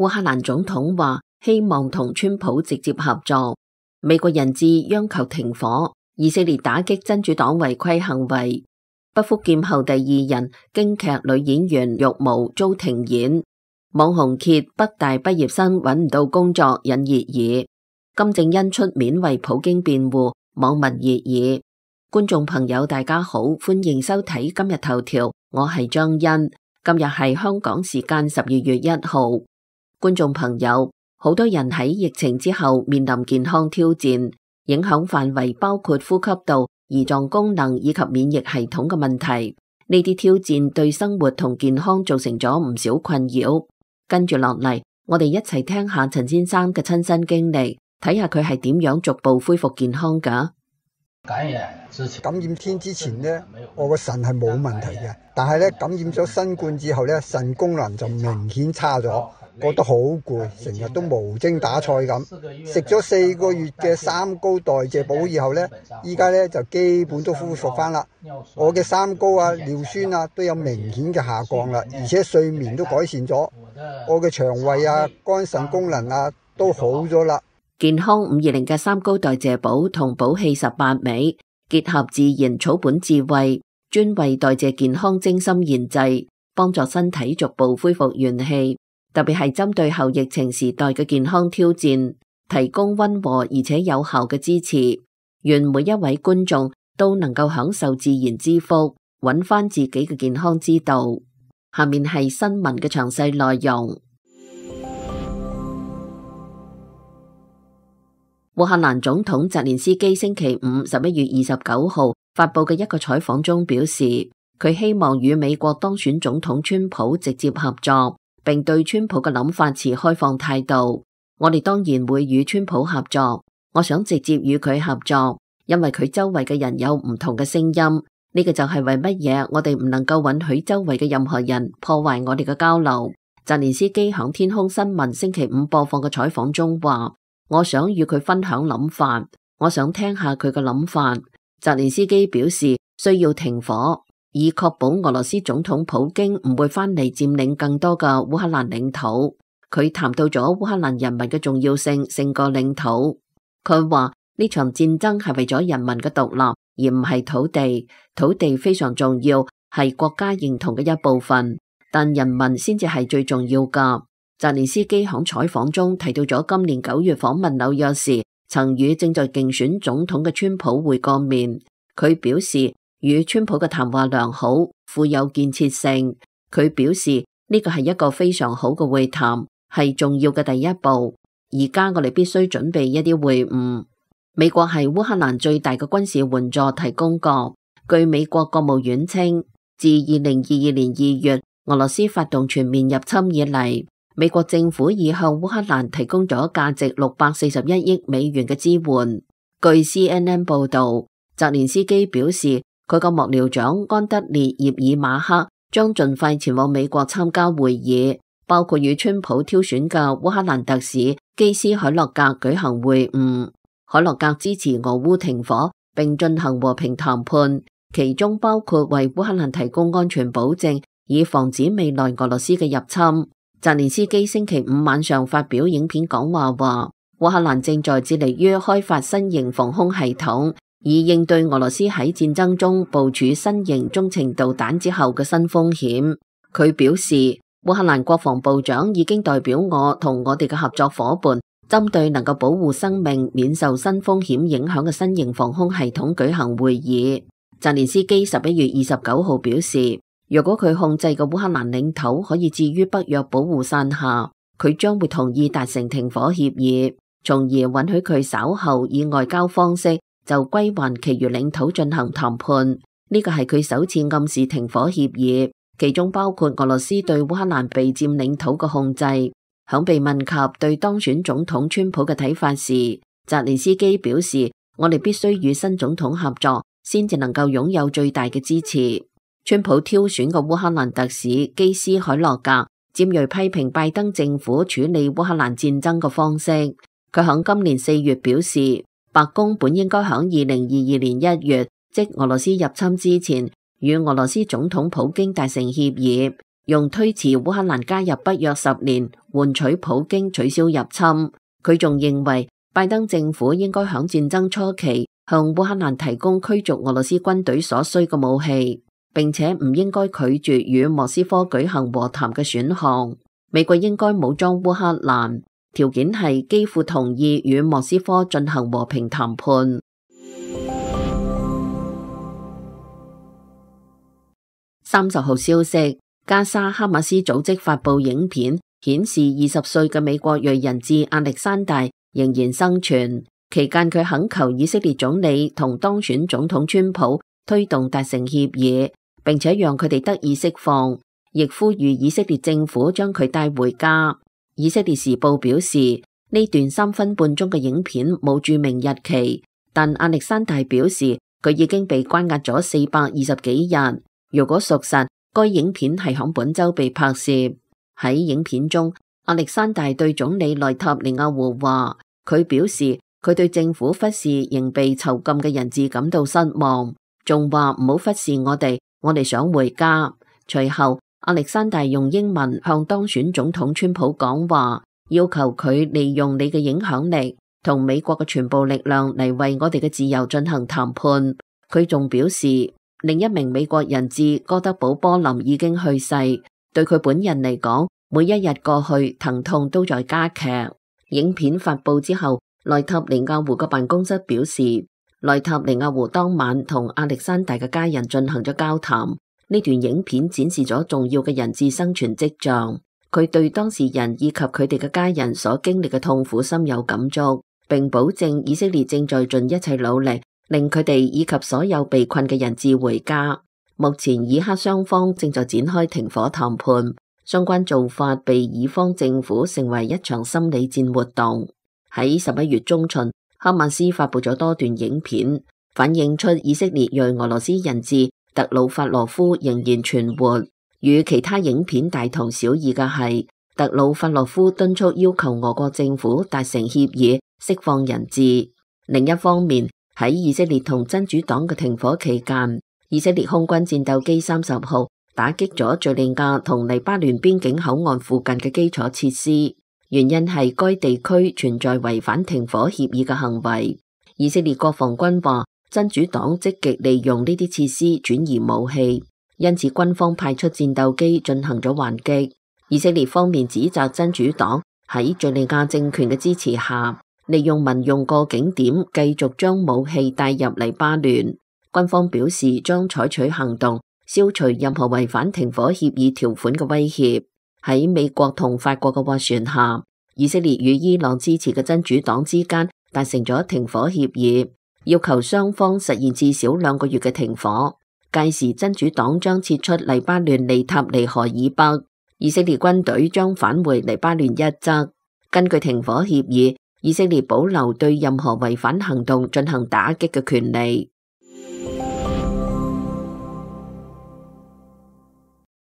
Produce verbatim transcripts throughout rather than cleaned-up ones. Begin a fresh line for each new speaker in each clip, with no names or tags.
烏克蘭總統話希望同川普直接合作。美國人質央求停火。以色列打擊真主黨違規行為。不福劍後第二人京劇女演員玉毛遭停演。網紅揭北大畢業生揾唔到工作引熱議。金正恩出面為普京辯護，網民熱議。觀眾朋友大家好，歡迎收睇今日頭條，我係張欣。今日係香港時間十二月一號。觀眾朋友，好多人喺疫情之後面臨健康挑戰，影響範圍包括呼吸道、胰臟功能以及免疫系統嘅問題。呢啲挑戰對生活同健康造成咗唔少困擾。跟住落嚟，我哋一齊聽下陳先生嘅親身經歷，睇下佢係點樣逐步恢復健康㗎。
感染之前，
感染天之前呢，我個腎係冇問題嘅，但係咧感染咗新冠之後咧，腎功能就明顯差咗，覺得好攰，成日都無精打采咁。食咗四個月嘅三高代謝補以後咧，依家咧就基本都恢復翻啦。我嘅三高啊、尿酸啊都有明顯嘅下降啦，而且睡眠都改善咗。我嘅腸胃啊、肝腎功能啊都好咗啦。
健康五二零嘅三高代謝補同補氣十八味，結合自然草本智慧，專為代謝健康精心研製，幫助身體逐步恢復元氣。特別係針對後疫情時代嘅健康挑戰，提供溫和而且有效嘅支持。願每一位觀眾都能夠享受自然之福，揾翻自己嘅健康之道。下面係新聞嘅詳細內容。烏克蘭總統澤連斯基星期五十一月二十九號發佈嘅一個採訪中表示，佢希望與美國當選總統川普直接合作，並對川普嘅諗法持開放態度。我哋當然會與川普合作，我想直接與佢合作，因為佢周圍嘅人有唔同嘅聲音。呢個就係為乜嘢我哋唔能夠允許周圍嘅任何人破壞我哋嘅交流。澤連斯基響天空新聞星期五播放嘅採訪中話，我想與佢分享諗法，我想聽下佢嘅諗法。澤連斯基表示需要停火，以確保俄羅斯總統普京唔會翻嚟佔領更多嘅烏克蘭領土。佢談到咗烏克蘭人民嘅重要性勝過領土。佢話呢場戰爭係為咗人民嘅獨立，而唔係土地。土地非常重要，係國家認同嘅一部分，但人民先至係最重要㗎。澤連斯基喺採訪中提到咗今年九月訪問紐約時，曾與正在競選總統嘅川普會過面。佢表示與川普嘅談話良好，富有建設性。佢表示呢個係一個非常好嘅會談，係重要嘅第一步。而家我哋必須準備一啲會晤。美國係烏克蘭最大嘅軍事援助提供國。據美國國務院稱，自二零二二年二月俄羅斯發動全面入侵以嚟，美國政府已向烏克蘭提供咗價值六百四十一億美元嘅支援。據 C N N 報道，澤連斯基表示，佢個幕僚長安德烈葉爾馬克將盡快前往美國參加會議，包括與川普挑選嘅烏克蘭特使基斯海洛格舉行會晤。海洛格支持俄烏停火並進行和平談判，其中包括為烏克蘭提供安全保證，以防止未來俄羅斯嘅入侵。澤連斯基星期五晚上發表影片講話話，烏克蘭正在致力於開發新型防空系統，以應對俄羅斯喺戰爭中部署新型中程導彈之後嘅新風險。佢表示，烏克蘭國防部長已經代表我同我哋嘅合作夥伴，針對能夠保護生命免受新風險影響嘅新型防空系統舉行會議。澤連斯基十一月二十九號表示，如果佢控制嘅烏克蘭領土可以置於北約保護傘下，佢將會同意達成停火協議，從而允許佢稍後以外交方式就歸還其餘領土進行談判。呢個係佢首次暗示停火協議，其中包括俄羅斯對烏克蘭被佔領土嘅控制。響被問及對當選總統川普嘅睇法時，澤連斯基表示，我哋必須與新總統合作，先至能夠擁有最大嘅支持。川普挑選嘅烏克蘭特使基斯海洛格尖銳批評拜登政府處理烏克蘭戰爭嘅方式。佢響今年四月表示，白宮本應該響二零二二年一月，即俄羅斯入侵之前，與俄羅斯總統普京達成協議，用推遲烏克蘭加入北約十年換取普京取消入侵。佢仲認為拜登政府應該響戰爭初期向烏克蘭提供驅逐俄羅斯軍隊所需嘅武器，並且唔應該拒絕與莫斯科舉行和談嘅選項。美國應該武裝烏克蘭，條件係基輔同意與莫斯科進行和平談判。三十號消息，加沙哈馬斯組織發布影片，顯示二十歲嘅美國裔人質亞歷山大仍然生存。期間佢懇求以色列總理同當選總統川普推動達成協議，並且讓佢哋得以釋放，亦呼籲以色列政府將佢帶回家。以色列時報表示，呢段三分半鐘嘅影片冇註明日期，但亞歷山大表示佢已經被關押咗四百二十幾日。如果屬實，該影片係響本周被拍攝。喺影片中，亞歷山大對總理內塔尼亞胡話，佢表示佢對政府忽視仍被囚禁嘅人質感到失望，仲話唔好忽視我哋，我哋想回家。隨後，亞歷山大用英文向當選總統川普講話，要求佢利用你嘅影響力同美國嘅全部力量嚟為我哋嘅自由進行談判。佢仲表示，另一名美國人質哥德堡波林已經去世，對佢本人嚟講，每一日過去疼痛都在加劇。影片發佈之後，內塔尼亞胡嘅辦公室表示，內塔尼亞胡當晚同亞歷山大嘅家人進行咗交談。呢段影片展示咗重要嘅人質生存跡象。佢對當事人以及佢哋嘅家人所經歷嘅痛苦深有感觸，並保證以色列正在盡一切努力令佢哋以及所有被困嘅人質回家。目前以哈雙方正在展開停火談判，相關做法被以方政府稱為一場心理戰活動。喺十一月中旬，哈馬斯發佈咗多段影片，反映出以色列裔俄羅斯人質特魯法羅夫仍然存活。與其他影片大同小異嘅係，特魯法羅夫敦促要求俄國政府達成協議釋放人質。另一方面，喺以色列同真主黨嘅停火期間，以色列空軍戰鬥機三十號打擊咗敘利亞同黎巴嫩邊境口岸附近嘅基礎設施，原因係該地區存在違反停火協議嘅行為。以色列國防軍話，真主黨積極利用呢啲設施轉移武器，因此軍方派出戰鬥機進行咗還擊。以色列方面指責真主黨喺敘利亞政權嘅支持下，利用民用過境點繼續將武器帶入黎巴嫩。軍方表示將採取行動，消除任何違反停火協議條款嘅威脅。喺美國同法國嘅斡旋下，以色列與伊朗支持嘅真主黨之間達成咗停火協議，要求雙方實現至少兩個月嘅停火。屆時真主黨將撤出黎巴嫩利塔尼河以北，以色列軍隊將返回黎巴嫩一側。根據停火協議，以色列保留對任何違反行動進行打擊嘅權利。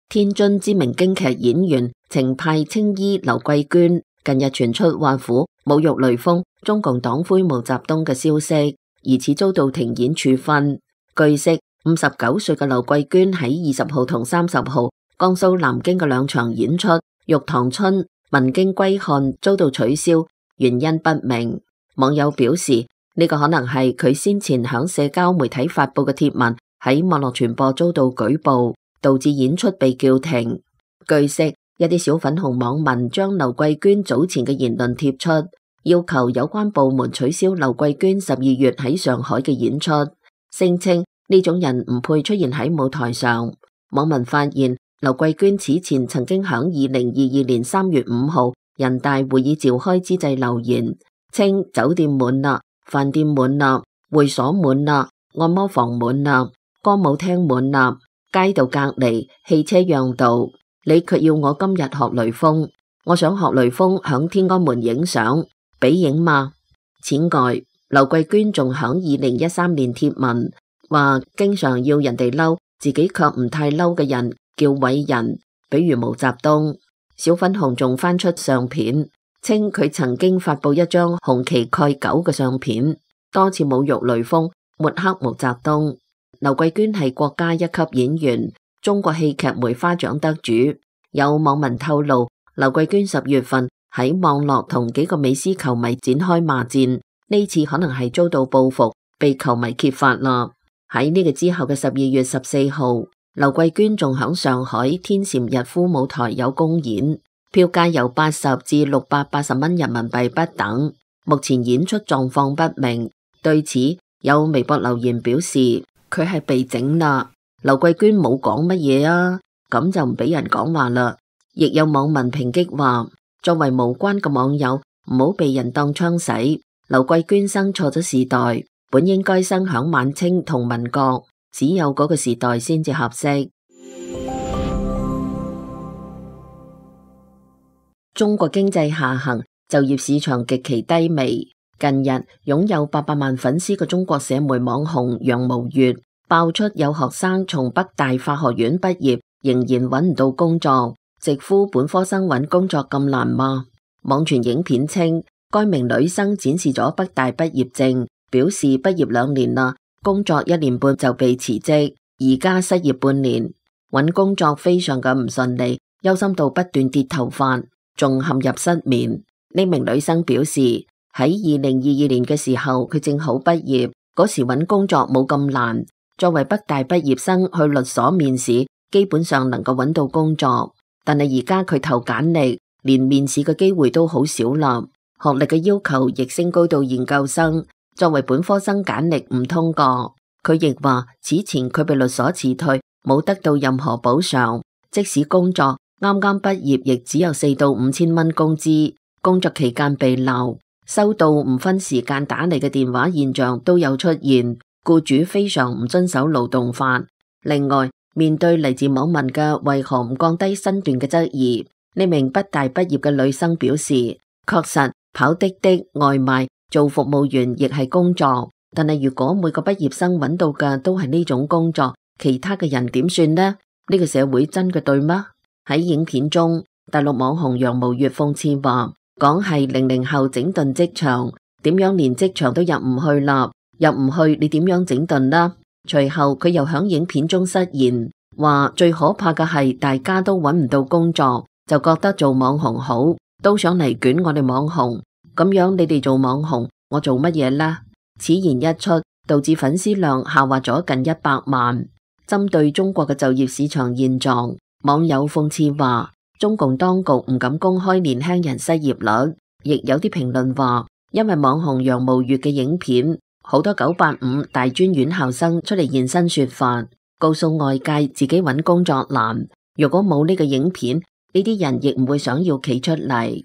天津知名京劇演員程派青衣劉桂娟近日傳出挖苦、侮辱雷鋒、中共黨魁毛澤東嘅消息，疑似遭到停演處分。據悉，五十九歲嘅劉桂娟喺二十號同三十號江蘇南京嘅兩場演出《玉堂春》《文京歸漢》遭到取消，原因不明。網友表示，呢個可能係佢先前響社交媒體發布嘅貼文喺網絡傳播遭到舉報，導致演出被叫停。據悉，一啲小粉紅網民將劉桂娟早前嘅言論貼出，要求有關部門取消劉桂娟十二月喺上海嘅演出，聲稱呢種人唔配出現喺舞台上。網民發現，劉桂娟此前曾經響二零二二年三月五號人大會議召開之際留言，稱酒店滿啦，飯店滿啦，會所滿啦，按摩房滿啦，歌舞廳滿啦，街道隔離，汽車讓道，你卻要我今日學雷鋒，我想學雷鋒響天安門影相，俾影嗎？此外，劉桂娟仲響二零一三年貼文話，經常要人哋嬲，自己卻唔太嬲嘅人叫偉人，比如毛澤東。小粉紅仲翻出相片，稱佢曾經發佈一張紅旗蓋狗嘅相片，多次侮辱雷鋒，抹黑毛澤東。劉桂娟係國家一級演員，中國戲劇梅花獎得主。有網民透露，劉桂娟十月份喺網絡同幾個美斯球迷展開罵戰，呢次可能係遭到報復，被球迷揭發啦。喺呢個之後嘅十二月十四號，劉桂娟仲響上海天蟾逸夫舞台有公演，票價由八十至六百八十蚊人民幣不等。目前演出狀況不明。對此，有微博留言表示佢係被整啦。劉桂娟冇講乜嘢啊，咁就唔俾人講話啦。亦有網民抨擊話，作為無關嘅網友，唔好被人當槍使。劉桂娟生錯咗時代，本應該生響晚清同民國，只有嗰個時代先至合適。中國經濟下行，就業市場極其低微。近日，擁有八百萬粉絲嘅中國社媒網紅楊無月爆出有學生從北大法學院畢業，仍然揾唔到工作。直呼本科生揾工作咁難嗎？網傳影片稱，該名女生展示咗北大畢業證，表示畢業兩年啦，工作一年半就被辭職，而家失業半年，揾工作非常嘅唔順利，憂心到不斷跌頭髮，仲陷入失眠。呢名女生表示，喺二零二二年嘅時候，佢正好畢業，嗰時揾工作冇咁難，作為北大畢業生去律所面試，基本上能夠揾到工作。但係而家佢投簡歷，連面試嘅機會都好少啦。學歷嘅要求亦升高到研究生，作為本科生簡歷唔通過。佢亦話此前佢被律所辭退，冇得到任何補償，即使工作啱啱畢業，亦只有四到五千蚊工資。工作期間被鬧，收到唔分時間打嚟嘅電話現象都有出現，僱主非常唔遵守勞動法。另外，面對嚟自網民嘅為何唔降低身段嘅質疑，呢名北大畢業嘅女生表示，確實跑滴滴、外賣、做服務員亦係工作，但係如果每個畢業生揾到嘅都係呢種工作，其他嘅人點算呢？呢個社會真嘅對嗎？喺影片中，大陸網紅楊無月諷刺話，講係零零後整頓職場，點樣連職場都入唔去啦？入唔去你點樣整頓啦？隨後佢又響影片中失言，話最可怕嘅係大家都揾唔到工作，就覺得做網紅好，都想嚟捲我哋網紅，咁樣你哋做網紅，我做乜嘢呢？此言一出，導致粉絲量下滑咗近一百萬。針對中國嘅就業市場現狀，網友諷刺話，中共當局唔敢公開年輕人失業率，亦有啲評論話，因為網紅楊無月嘅影片，好多九八五大專院校生出嚟現身說法，告訴外界自己揾工作難。如果冇呢個影片，呢啲人亦唔會想要企出嚟。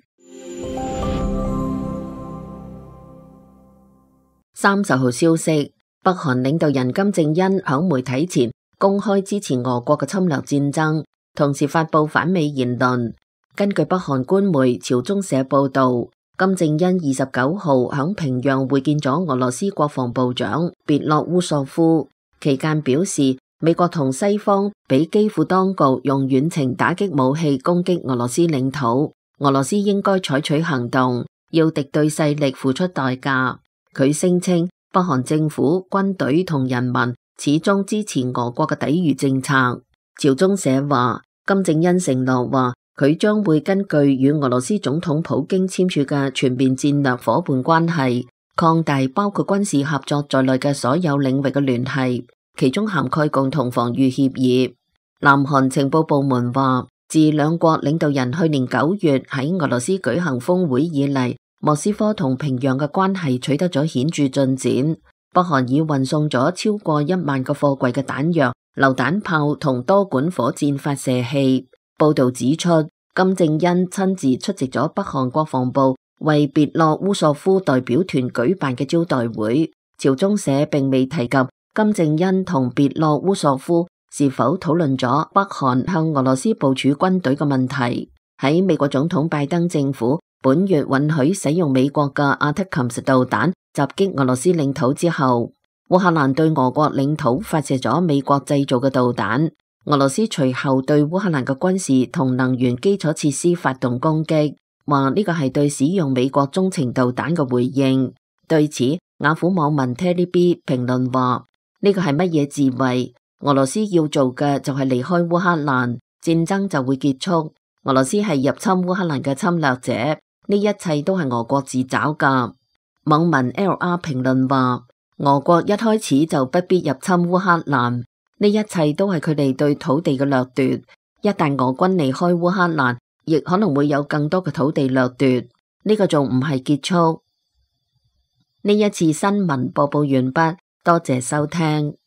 三十號消息，北韓領導人金正恩響媒體前公開支持俄國嘅侵略戰爭，同時發佈反美言論。根據北韓官媒朝中社報道，金正恩二十九號響平壤會見咗俄羅斯國防部長別洛烏索夫，期間表示美國同西方俾基輔當局用遠程打擊武器攻擊俄羅斯領土，俄羅斯應該採取行動，要敵對勢力付出代價。佢聲稱北韓政府、軍隊同人民始終支持俄國嘅抵禦政策。朝中社話，金正恩承諾話，佢將會根據與俄羅斯總統普京簽署嘅全面戰略夥伴關係，擴大包括軍事合作在內嘅所有領域嘅聯繫，其中涵蓋共同防禦協議。南韓情報部門話，自兩國領導人去年九月喺俄羅斯舉行峰會以嚟，莫斯科同平壤嘅關係取得咗顯著進展。北韓已運送咗超過一萬個貨櫃嘅彈藥、榴彈炮同多管火箭發射器。報道指出，金正恩親自出席咗北韓國防部為別洛烏索夫代表團舉辦嘅招待會。朝中社並未提及金正恩同別洛烏索夫是否討論咗北韓向俄羅斯部署軍隊嘅問題。喺美國總統拜登政府本月允許使用美國嘅阿特琴斯導彈襲擊俄羅斯領土之後，烏克蘭對俄國領土發射咗美國製造嘅導彈。俄羅斯隨後對烏克蘭嘅軍事同能源基礎設施發動攻擊，話呢個係對使用美國中程導彈嘅回應。對此，雅虎網民 Terry B 評論話：呢個係乜嘢智慧？俄羅斯要做嘅就係離開烏克蘭，戰爭就會結束。俄羅斯係入侵烏克蘭嘅侵略者，呢一切都係俄國自找噶。網民 L R 評論話，俄國一開始就不必入侵烏克蘭，呢一切都係佢哋對土地嘅掠奪。一旦俄軍離開烏克蘭，亦可能會有更多嘅土地掠奪，呢個仲唔係結束。呢一次新聞播報完畢，多謝收聽。